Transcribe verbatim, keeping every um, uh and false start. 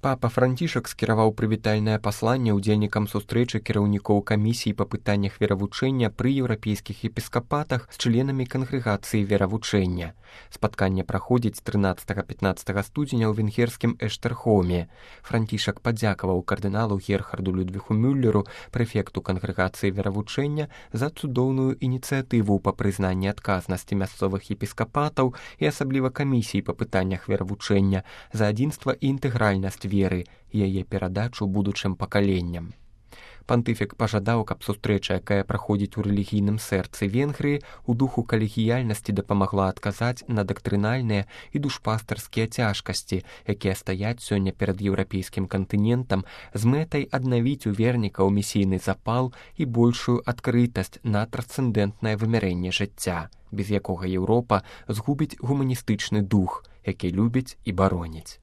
Папа Францішак скіраваў прывітальнае пасланне ўдзельнікам сустрэчы кіраўнікоў камісій па пытаннях веравучэння пры еўрапейскіх епіскапатах з членамі кангрэгацыі веравучэння. Спатканне праходзіць трынаццатага-пятнаццатага студзеня ў венгерскім Эштэрхоме. Францішак падзякаваў кардыналу Герхарду Людвіху Мюллеру, прэфекту кангрэгацыі веравучэння, за цудоўную ініцыятыву па прызнанні адказнасці мясцовых епіскапатаў і асабліва камісій па пытаннях веравучэння за адзінства і інтэгральнасць веры і яе перадачу будучым пакаленням. Пантыфік пажадаў, каб сустрэча, якая праходзіць у рэлігійным сэрцы Венгрыі, у духу калегіяльнасці дапамагла адказаць на дактрынальныя і душпастарскія цяжкасці, якія стаяць сёння перад еўрапейскім кантынентам з мэтай аднавіць у вернікаў місійны запал і большую адкрытасць на трансцэндэнтнае вымярэнне жыцця, без якога Еўропа згубіць гуманістычны дух, які любіць і бароніць.